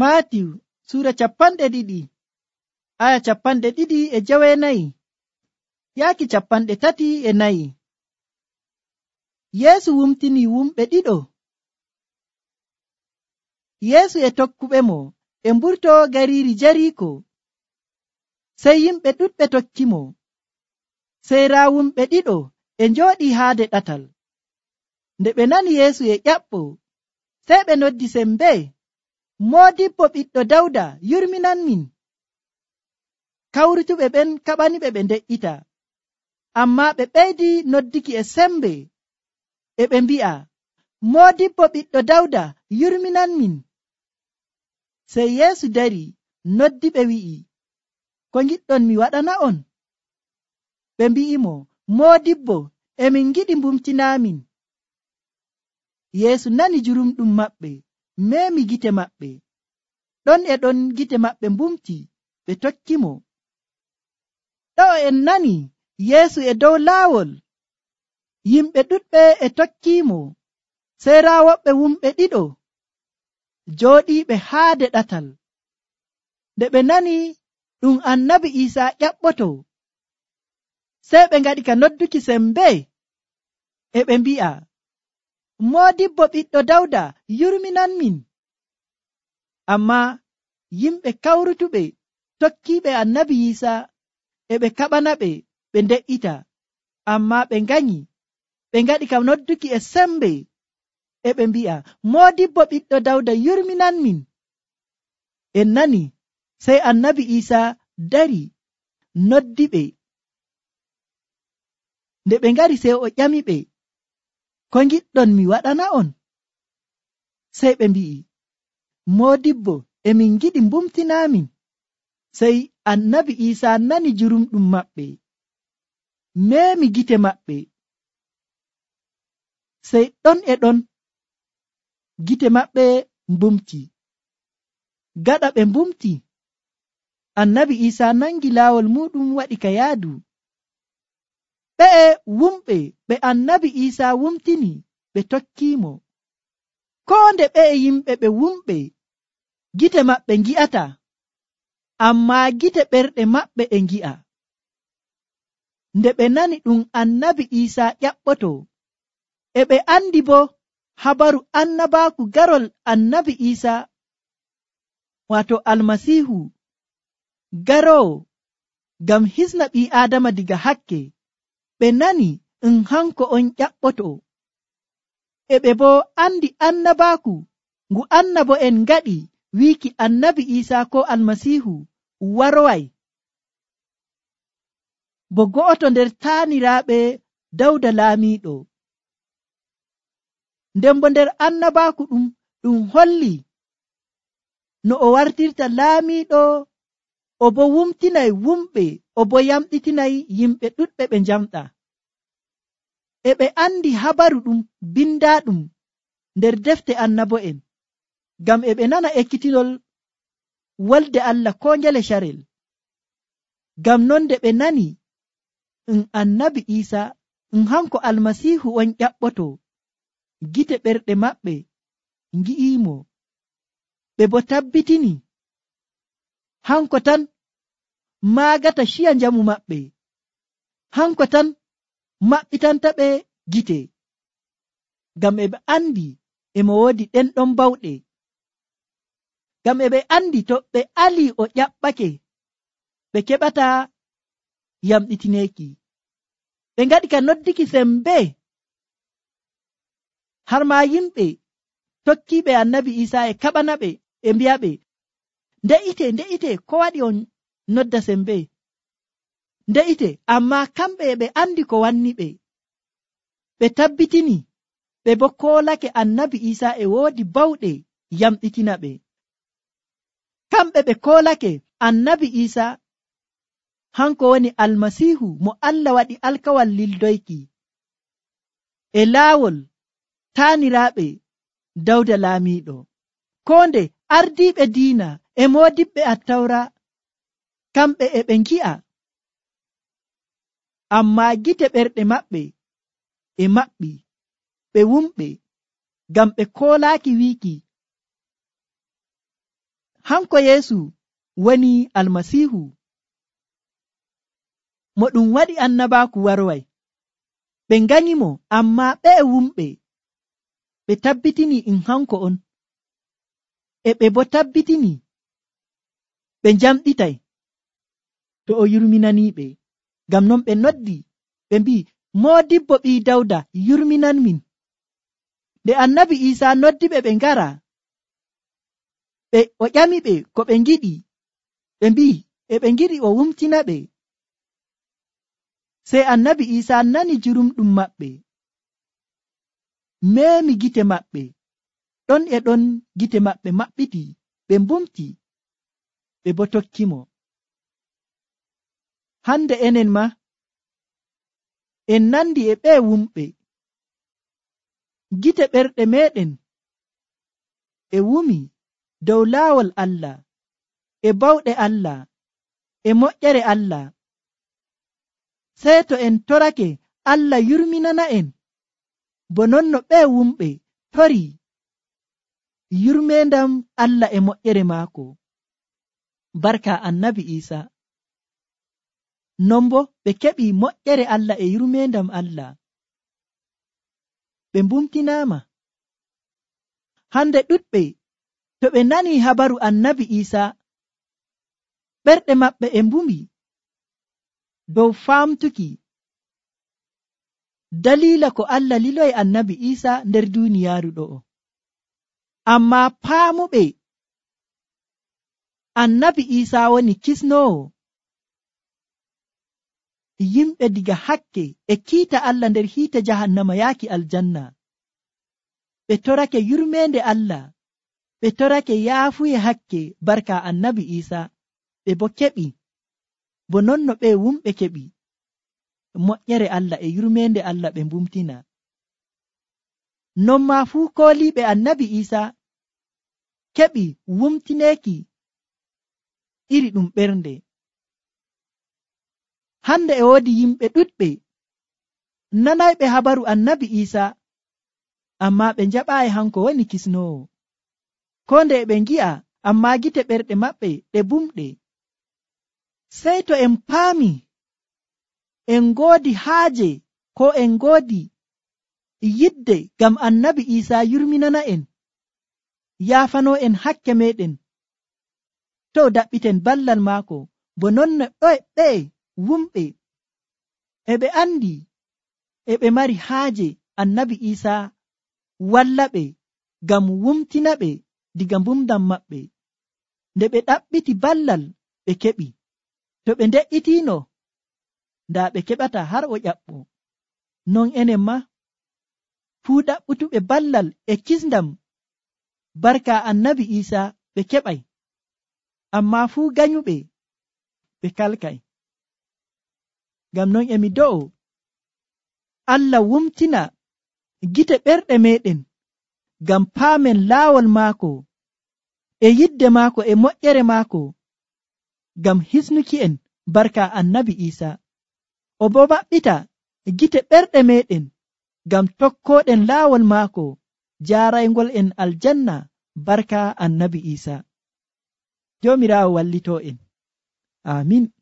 Maatiw sura 2 aya 2:9 yaaki 34. Yeesu wumtini wumɓe ɗiɗo. Yeesu e tokkuɓemo e mburto gariiri Jariiko. Sey yimɓe ɗuɗɓe tokkimo. Sey raa wumɓe ɗiɗo e njooɗii haade ɗatal. Nde ɓe nani Yeesu e ƴaɓɓo, sey ɓe noddi sembe, Moodibbo ɓiɗɗo Dawda, yurminanmin. Kawrutuɓe ɓen kaɓaniɓe ɓe nde''ita, ammaa ɓe ɓeydi nodduki e sembe, e ɓe mbi'a, Moodibbo ɓiɗɗo Dawda, yurminanmin. Sey Yeesu dari noddiɓe wi'i, ko ngiɗɗon mi waɗana'on? Ɓe mbi'imo, Moodibbo, emin ngiɗi mbumtinaamin. Yeesu nani jurumɗum maɓɓe, meemi gite maɓɓe. Ɗon e ɗon gite maɓɓe mbumti, ɓe tokkimo. Ɗo'o en nani Yeesu e dow laawol. Yimɓe ɗuɗɓe e tokkiimo. Sey raa woɓɓe wumɓe ɗiɗo jooɗiiɓe haade ɗatal. Nde ɓe nani ɗum Annabi Iisaa ƴaɓɓoto, sey ɓe ngaɗi ka nodduki sembe, e ɓe mbi'a, Moodibbo ɓiɗɗo Dawda, yurminanmin. Ammaa yimɓe kawrutuɓe tokkiiɓe Annabi Iisaa e ɓe kaɓanaɓe ɓe nde''ita, ammaa ɓe nganyi, ɓe ngaɗi ka nodduki e sembe, e ɓe mbi'a, Moodibbo ɓiɗɗo Dawda, yurminanmin. En nani, sey Annabi Iisaa dari noddiɓe. Nde ɓe ngari sey o ƴamiɓe, ko ngiɗɗon mi waɗana'on? Sey ɓe mbi'i, Moodibbo, emin ngiɗi mbumtinaamin. Sey Annabi Iisaa nani jurumɗum maɓɓe, meemi gite maɓɓe. Sey ɗon e ɗon gite maɓɓe mbumti. Gaɗa ɓe mbumti, Annabi Iisaa nangi laawol muɗum waɗi ka yaadu. Ɓe'e wumɓe ɓe Annabi Iisaa wumtini ɓe tokkiimo. Koo nde ɓe'e yimɓe ɓe wumɓe gite maɓɓe ngi'ata, ammaa gite ɓerɗe maɓɓe e ngi'a. Nde ɓe nani ɗum Annabi Iisaa ƴaɓɓoto, e ɓe andi bo habaru annabaaku garol Annabi Iisaa, waato Almasiihu garoowo ngam hisna ɓii Aadama diga hakke. Ɓe nani hanko on ƴaɓɓoto, e ɓe bo andi annabaaku ngu annabo'en ngaɗi wiiki Annabi Iisaa ko Almasiihu waroway bo go'oto nder taaniraaɓe Dawda laamiiɗo. Nden bo nder annabaaku ɗum holli no o wartirta laamiiɗo, o bo wumtinay wumɓe, o bo yamɗitinay yimɓe ɗuɗɓe ɓe njamɗa. E ɓe andi habaru ɗum bindaaɗum nder defte annabo'en, ngam e ɓe nana ekkitinol wolde Allah ko ngele carel. Ngam non nde ɓe nani Annabi Iisaa hanko Almasiihu on ƴaɓɓoto, gite ɓerɗe maɓɓe ngi'iimo, ɓe bo tabbitini hanko tan maagata ciya njamu maɓɓe, hanko tan maɓɓitanta ɓe gite, ngam e ɓe andi emo woodi ɗenɗon bawɗe. Ngam e ɓe andi to ɓe ali o ƴaɓɓake, ɓe keɓata yamɗitineeki. Ɓe ngaɗi ka nodduki sembe, har ma yimɓe tokkiiɓe Annabi Iisaa e kaɓanaɓe e mbi'aɓe, nde'ite, ko waɗi on nodda sembe? Nde'ite, ammaa kamɓe e ɓe andi ko wanni ɓe. Ɓe tabbitini, ɓe bo koolake Annabi Iisaa e woodi bawɗe yamɗitina ɓe. Kamɓe ɓe koolake Annabi Iisaa hanko woni Almasiihu mo Allah waɗi alkawal lildoyki e laawol taaniraaɓe Dawda laamiiɗo. Koo nde ardiiɓe diina e moodiɓɓe Attawra, kamɓe e ɓe ngi'a, ammaa gite ɓerɗe maɓɓe e maɓɓi, ɓe wumɓe, ngam ɓe koolaaki wiiki hanko Yeesu woni almasiihu mo ɗum waɗi annabaaku warway. Ɓe nganyimo, ammaa ɓe wumɓe ɓe tabbitini hanko on, e ɓe bo tabbitini ɓe njamɗitay to o yurminaniiɓe. Ngam non ɓe noddi ɓe mbi'i, Moodibbo ɓii Dawda, yurminan min. Nde annabi Iisaa noddiɓe ɓe ngara, o ƴamiɓe ko ɓe ngiɗi, ɓe mbi'i e ɓe ngiɗi o wumtina ɓe. Sey annabi Iisaa nani jurumɗum maɓɓe, meemi gite maɓɓe, ɗon e ɗon gite maɓɓe maɓɓiti, ɓe mbumti, ɓe bo tokkimo. Hande enen ma en nandi e ɓe wumɓe, gite ɓerɗe meɗen e wumi dow laawol Allah, e bawɗe Allah, e moƴƴere Allah. Sey to en torake, Allah yurminana en, bo non no ɓe wumɓe tori yurmendam Allah e moƴƴere maako, barka annabi Iisaa. Non bo ɓe keɓi moƴƴere Allah e yurmendam Allah, ɓe mbumtinaama. Hande ɗuɗɓe to ɓe nani habaru annabi Iisaa, ɓerɗe maɓɓe e mbumi dow famtuki dalila ko Allah liloyi annabi Iisaa nder duniyaaru ɗo'o. Ammaa paamuɓe annabi Iisaa woni kisnoowo yimɓe diga hakke e kiita Allah nder hiite jahannama yaaki aljanna, ɓe torake yurmende Allah, ɓe torake yaafuye hakke barka annabi Iisaa, ɓe bo keɓi bo non no ɓe wumɓe keɓi moƴƴere Allah e yurmende Allah, ɓe mbumtina. Non maa fuu kooliiɓe annabi Iisaa keɓi wumtineeki iri ɗum ɓernde. Hande e woodi yimɓe ɗuɗɓe nanayɓe habaru annabi Iisaa, ammaa ɓe njaɓaayi hanko woni kisnoowo. Ko nde ɓe ngi'a, ammaa gite ɓerɗe maɓɓe ɗe bumɗe. Sey to en paami en ngoodi haaje ko en ngoodi yidde ngam annabi Iisaa yurminana en, yaafanoo en hakke meɗen, to daɓɓiten ballal maako, bo non no ɓe wumɓe e ɓe andi e ɓe mari haaje annabi Iisaa walla ɓe ngam wumtina ɓe diga mbumdam maɓɓe. Nde ɓe ɗaɓɓiti ballal ɓe keɓi, to ɓe nde'itiino ndaa ɓe keɓata har o ƴaɓɓo. Non enen ma fuu ɗaɓɓutuɓe ballal e kisndam barka annabi Iisaa ɓe keɓay, ammaa fuu ganyuɓe ɓe kalkay. Ngam non emi do'o Allah wumtina gite ɓerɗe meɗen ngam paamen laawol maako e yidde maako e moƴƴere maako, ngam hisnuki en barka annabi Iisaa. O bo maɓɓita gite ɓerɗe meɗen ngam tokkoɗen laawol maako jaaraygol en aljanna barka annabi Iisaa. Joomiraawo wallitoo en. Amin.